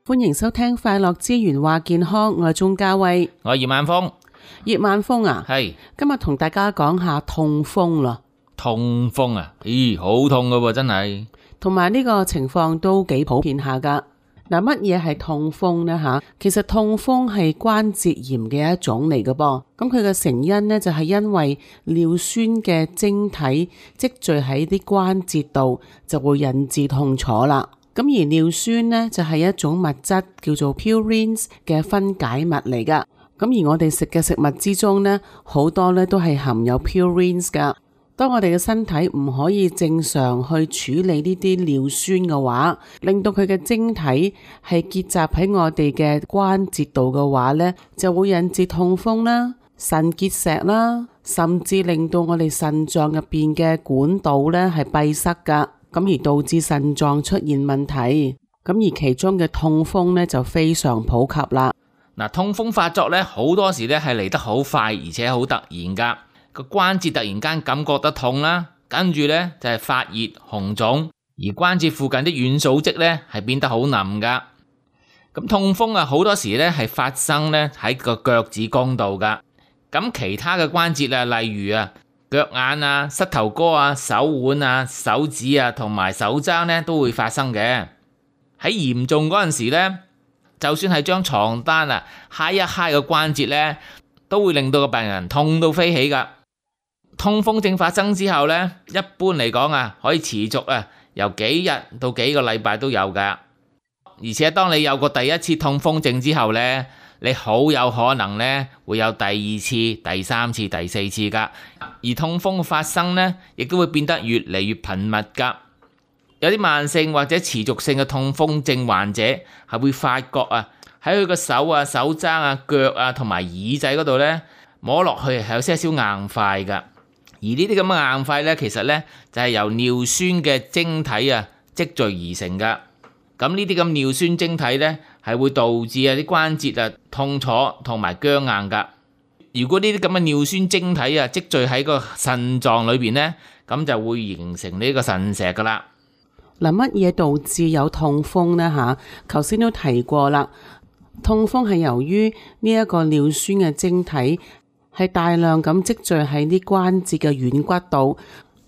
歡迎收聽快樂之源話健康，我係鍾嘉慧，我係葉晚風。葉晚風啊，係今日同大家講下痛風啦。痛風啊，咦，好痛噶喎，真係。同埋呢個情況都幾普遍下噶。嗱，乜嘢係痛風呢？吓，其實痛風係關節炎嘅一種嚟嘅噃。咁佢嘅成因呢，就係因為尿酸嘅晶體積聚喺啲關節度，就會引致痛楚啦。咁而尿酸呢，就係一種物質叫做 purines 嘅分解物嚟噶。咁而我哋食嘅食物之中呢，好多呢都係含有 purines 噶。當我哋嘅身體唔可以正常去處理呢啲尿酸嘅話，令到佢嘅晶體係結集喺我哋嘅關節度嘅話呢，就會引致痛風啦、腎結石啦，甚至令到我哋腎臟入邊嘅管道呢係閉塞噶，咁而導致腎臟出現問題。咁而其中嘅痛風呢，就非常普及啦。嗱，痛風發作呢，好多時呢係嚟得好快，而且好突然噶。個關節突然間感覺得痛啦，跟住呢就係發熱紅腫，而關節附近啲軟組織呢係變得好腍噶。咁痛風啊，好多時呢係發生呢喺個腳趾公度噶。咁其他嘅關節啊，例如啊腳眼啊、膝頭哥啊、手腕啊、手指啊同埋手踭呢都會發生嘅。喺嚴重嗰陣時呢，就算係將床單啊揩一揩個關節呢，都會令到個病人痛到飛起噶。痛風症發生之後呢，一般嚟講啊，可以持續啊，由幾日到幾個禮拜都有噶。而且當你有過第一次痛風症之後呢，你好有可能呢會有第二次、第三次、第四次噶。而痛風嘅發生呢，亦都會變得越嚟越頻密噶。有啲慢性或者持續性嘅痛風症患者係會發覺啊，喺佢個手啊、手踭啊、腳啊同埋耳仔嗰度呢，摸落去係有些少硬塊噶。而呢啲咁嘅硬塊呢，其實呢就係由尿酸嘅晶體啊積聚而成噶。咁呢啲咁尿酸晶體呢，係會導致啊啲關節啊痛楚同埋僵硬噶。如果呢啲咁嘅尿酸晶體啊積聚喺個腎臟裏邊呢，咁就會形成呢個腎石噶啦。嗱，乜嘢導致有痛風呢？吓，頭先都提過啦，痛風係由於呢一個尿酸嘅晶體係大量咁積聚喺啲關節嘅軟骨度，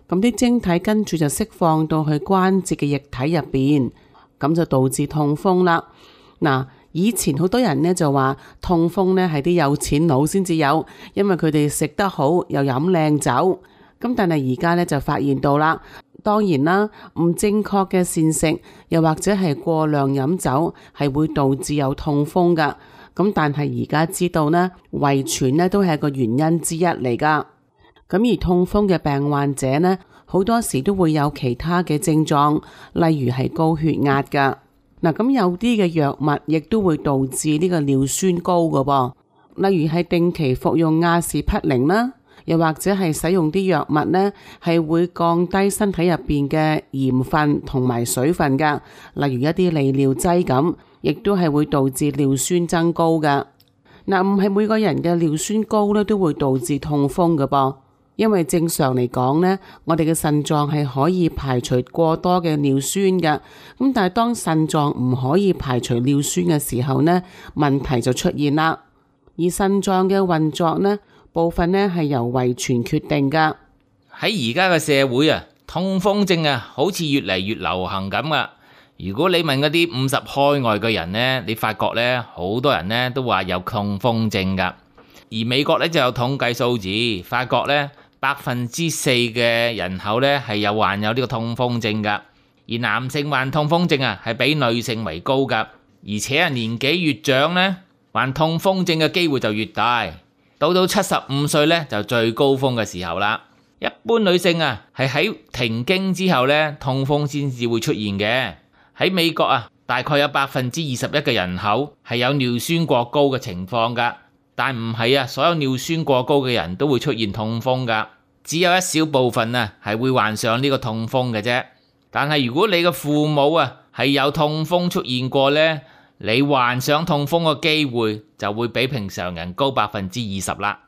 咁啲晶體跟住就釋放到去關節嘅液體入邊，咁就導致痛風啦。嗱，以前好多人呢就話痛風呢係啲有錢佬先至有，因為佢哋食得好又飲靚酒。咁但係而家呢就發現到啦，當然啦，唔正確嘅膳食又或者係過量飲酒係會導致有痛風噶。咁但係而家知道呢，遺傳呢都係一個原因之一嚟噶。咁而痛風嘅病患者呢，好多時都會有其他嘅症狀，例如係高血壓噶。嗱，咁有啲嘅藥物亦都會導致呢個尿酸高噶噃，例如係定期服用阿士匹靈啦，又或者係使用啲藥物呢，係會降低身體入邊嘅鹽分同埋水分噶，例如一啲利尿劑咁。亦都係會導致尿酸增高噶。嗱，唔係每個人嘅尿酸高咧都會導致痛風噶噃，因為正常嚟講呢，我哋嘅腎臟係可以排除過多嘅尿酸嘅。咁但係當腎臟唔可以排除尿酸嘅時候呢，問題就出現啦。而腎臟嘅運作呢，部分呢係由遺傳決定噶。喺而家嘅社會啊，痛風症啊，好似越嚟越流行咁啊。如果你問嗰啲50開外嘅人呢，你發覺呢，好多人呢都話有痛風症噶。而美國呢就有統計數字，發覺呢4%嘅人口呢係有患有呢個痛風症噶。而男性患痛風症啊係比女性為高噶，而且啊年紀越長呢，患痛風症嘅機會就越大。到75歲呢就最高峰嘅時候啦。一般女性啊係喺停經之後呢，痛風先至會出現嘅。喺美國啊，大概有21%嘅人口係有尿酸過高嘅情況噶，但唔係啊，所有尿酸過高嘅人都會出現痛風噶，只有一小部分啊係會患上呢個痛風嘅啫。但係如果你嘅父母啊係有痛風出現過呢，你患上痛風嘅機會就會比平常人高20%啦。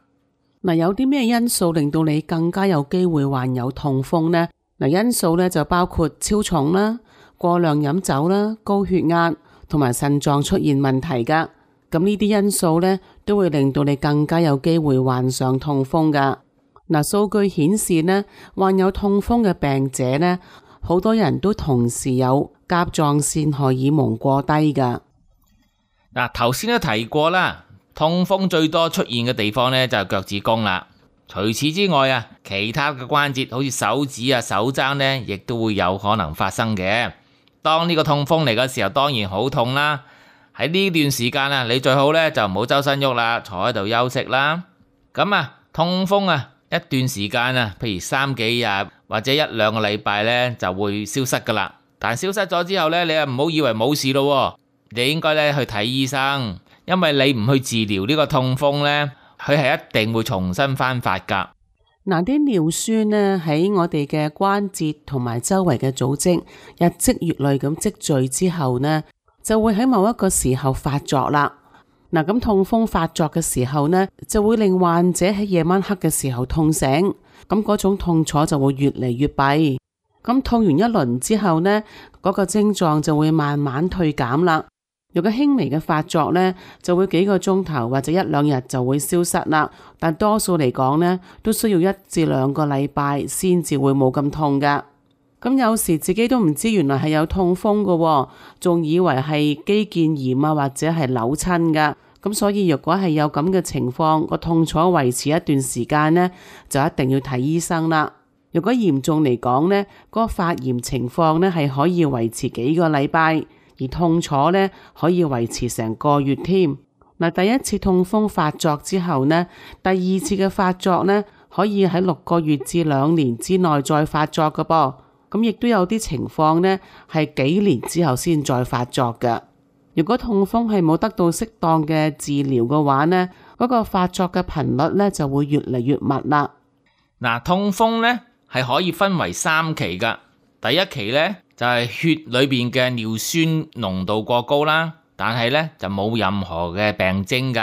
嗱，有啲咩因素令到你更加有機會患有痛風呢？嗱，因素咧就包括超重啦、過量飲酒啦、高血壓同埋腎臟出現問題噶。咁呢啲因素呢，都會令到你更加有機會患上痛風噶。嗱，數據顯示呢，患有痛風嘅病者呢，好多人都同時有甲狀腺荷爾蒙過低噶。嗱，頭先都提過啦，痛風最多出現嘅地方呢，就係腳趾公啦。除此之外啊，其他嘅關節好似手指啊、手踭呢，亦都會有可能發生嘅。當呢個痛風嚟嘅時候，當然好痛啦。喺呢段時間啊，你最好呢就唔好周身喐啦，坐喺度休息啦。咁啊，痛風啊一段時間啊，譬如3幾日或者1、2個禮拜呢，就會消失噶啦。但消失咗之後呢，你又唔好以為冇事咯，你應該呢去睇醫生，因為你唔去治療呢個痛風呢，佢係一定會重新翻發噶。嗱，啲尿酸呢喺我哋嘅關節同埋周圍嘅組織日積月累咁積聚之後呢，就會喺某一個時候發作啦。嗱，咁痛風發作嘅時候呢，就會令患者喺夜晚黑嘅時候痛醒，咁嗰種痛楚就會越嚟越弊。咁痛完一輪之後呢，嗰個症狀就會慢慢退減啦。如果輕微嘅發作呢，就會幾個鐘頭或者1、2日就會消失啦。但多數嚟講呢，都需要1至2個禮拜先至會冇咁痛噶。咁有時自己都唔知原來係有痛風噶，仲以為係肌腱炎啊，或者係扭親噶。咁所以如果係有咁嘅情況，個痛楚維持一段時間呢，就一定要睇醫生啦。如果嚴重嚟講呢，嗰個發炎情況呢係可以維持幾個禮拜，而痛楚呢可以維持成個月添。嗱，第一次痛風發作之後呢，第二次嘅發作呢，可以喺6個月至2年之內再發作㗎噃。咁亦都有啲情況呢，係幾年之後先再發作嘅。如果痛風係冇得到適當嘅治療嘅話呢，嗰個發作嘅頻率呢就會越嚟越密啦。嗱，痛風呢係可以分為3期噶。第一期呢就係血裏邊嘅尿酸濃度過高啦，但係呢就冇任何嘅病徵噶。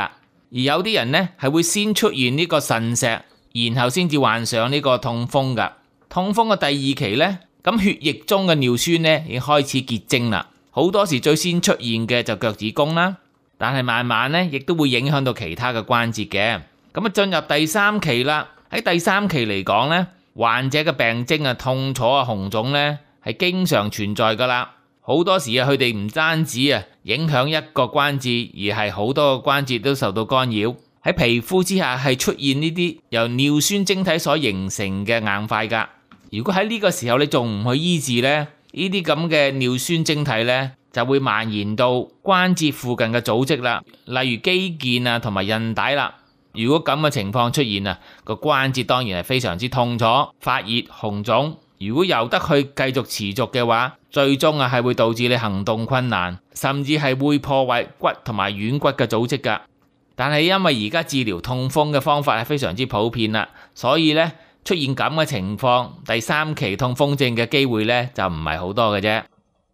而有啲人呢係會先出現呢個腎石，然後先至患上呢個痛風噶。痛風嘅第2期呢，咁血液中嘅尿酸呢已經開始結晶啦，好多時最先出現嘅就腳趾公啦，但係慢慢呢亦都會影響到其他嘅關節嘅。咁啊進入第3期啦，喺第3期嚟講呢，患者嘅病徵啊、痛楚啊、紅腫呢係經常存在噶啦。好多時啊，佢哋唔單止啊影響一個關節，而係好多個關節都受到干擾。喺皮膚之下係出現呢啲由尿酸晶體所形成嘅硬塊噶。如果喺呢個時候你仲唔去醫治呢，呢啲咁嘅尿酸晶體呢就會蔓延到關節附近嘅組織啦，例如肌腱啊同埋韌帶啦。如果咁嘅情況出現啊，個關節當然係非常之痛楚、發熱、紅腫。如果由得去繼續持續嘅話，最終啊係會導致你行動困難，甚至係會破壞骨同埋軟骨嘅組織噶。但係因為而家治療痛風嘅方法係非常之普遍啦，所以呢出現咁嘅情況，第3期痛風症嘅機會呢就唔係好多嘅啫。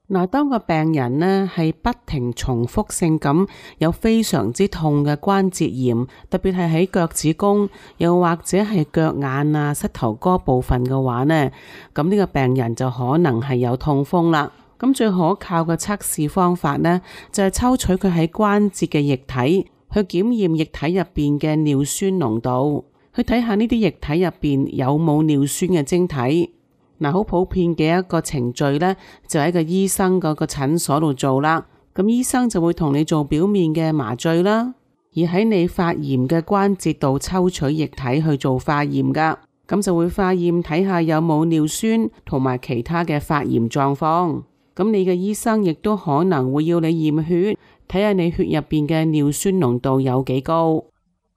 嗱，當個病人呢係不停重複性咁有非常之痛嘅關節炎，特別係喺腳趾公，又或者係腳眼啊、膝頭哥部分嘅話呢，咁呢個病人就可能係有痛風啦。咁最可靠嘅測試方法呢，就係抽取佢喺關節嘅液體，去檢驗液體入邊嘅尿酸濃度，去睇下呢啲液體入邊有冇尿酸嘅晶體。嗱，好普遍嘅一個程序呢，就喺個醫生嗰個診所度做啦。咁醫生就會同你做表面嘅麻醉啦，而喺你發炎嘅關節度抽取液體去做化驗噶。咁就會化驗睇下有冇尿酸同埋其他嘅發炎狀況。咁你嘅醫生亦都可能會要你驗血，睇下你血入邊嘅尿酸濃度有幾高。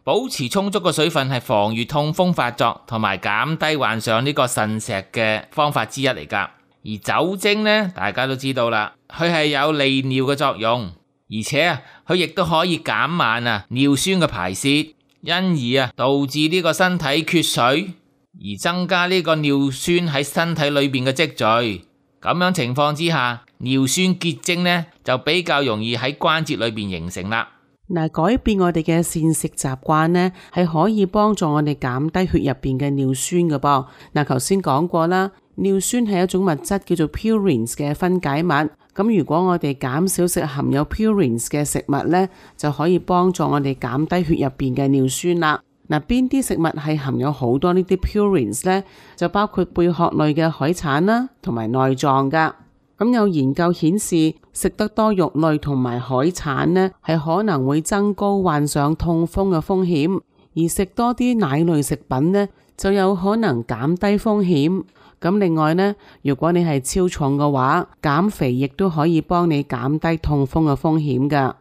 保持充足嘅水分係防禦痛風發作同埋減低患上呢個腎石嘅方法之一嚟噶。而酒精呢，大家都知道啦，佢係有利尿嘅作用，而且啊，佢亦都可以減慢啊尿酸嘅排泄，因而啊導致呢個身體缺水，而增加呢個尿酸喺身體裏邊嘅積聚。咁樣情況之下，尿酸結晶呢就比較容易喺關節裏邊形成啦。嗱，改變我哋嘅膳食習慣呢，係可以幫助我哋減低血入邊嘅尿酸嘅噃。嗱，頭先講過啦，尿酸係一種物質叫做 purines 嘅分解物，咁如果我哋減少食含有 purines 嘅食物呢，就可以幫助我哋減低血入邊嘅尿酸啦。嗱，邊啲食物係含有好多呢啲 purines 呢？就包括貝殼類嘅海產啦，同埋內臟噶。咁有研究顯示，食得多肉類同埋海產呢，係可能會增高患上痛風嘅風險，而食多啲奶類食品呢，就有可能減低風險。咁另外呢，如果你係超重嘅話，減肥亦都可以幫你減低痛風嘅風險噶。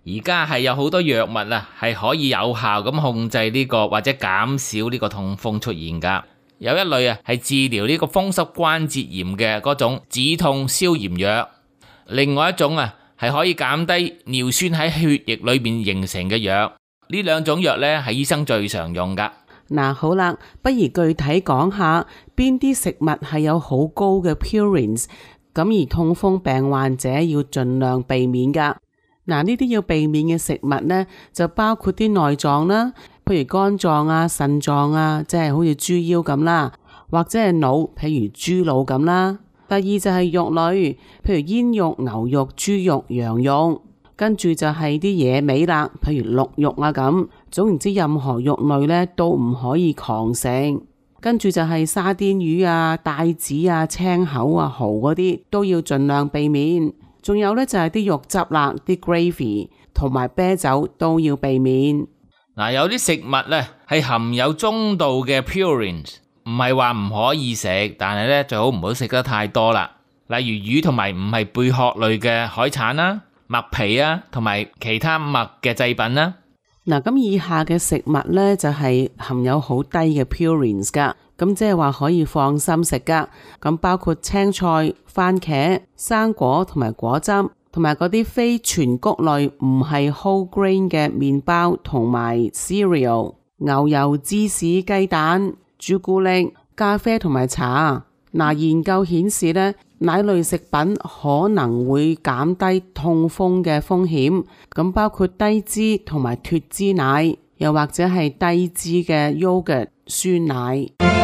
而家係有好多藥物啊，係可以有效咁控制呢個或者減少呢個痛風出現噶。有一類啊係治療呢個風濕關節炎嘅嗰種止痛消炎藥，另外一種啊係可以減低尿酸喺血液裏面形成嘅藥。呢兩種藥呢係醫生最常用噶。嗱，好啦，不如具體講下邊啲食物係有好高嘅 purines， 咁而痛風病患者要盡量避免噶。嗱，呢啲要避免嘅食物呢，就包括啲內臟啦，譬如肝臟啊、腎臟啊，即係好似豬腰咁啦，或者係腦，譬如豬腦咁啦。第二就係肉類，譬如煙肉、牛肉、豬肉、羊肉。跟住就係啲野味啦，譬如鹿肉啊咁。總言之，任何肉類呢都唔可以狂食。跟住就係沙甸魚啊、帶子啊、青口啊、蠔嗰啲都要盡量避免。仲有呢，就係啲肉汁啦，啲 gravy 同埋啤酒都要避免。嗱，有啲食物呢係含有中度嘅 purines， 唔係話唔可以食，但係呢最好唔好食得太多啦。例如魚同埋唔係貝殼類嘅海產啦、麥皮啊同埋其他麥嘅製品啦。嗱，咁以下嘅食物呢，就係含有好低嘅 purines 噶，咁即係話可以放心食噶。咁包括青菜、番茄、生果同埋果汁，同埋嗰啲非全穀類唔係 whole grain 嘅麵包同埋 cereal、牛油、芝士、雞蛋、朱古力、咖啡同埋茶。嗱，研究顯示呢，奶類食品可能會減低痛風嘅風險，咁包括低脂同埋脫脂奶，又或者係低脂嘅 yogurt 酸奶。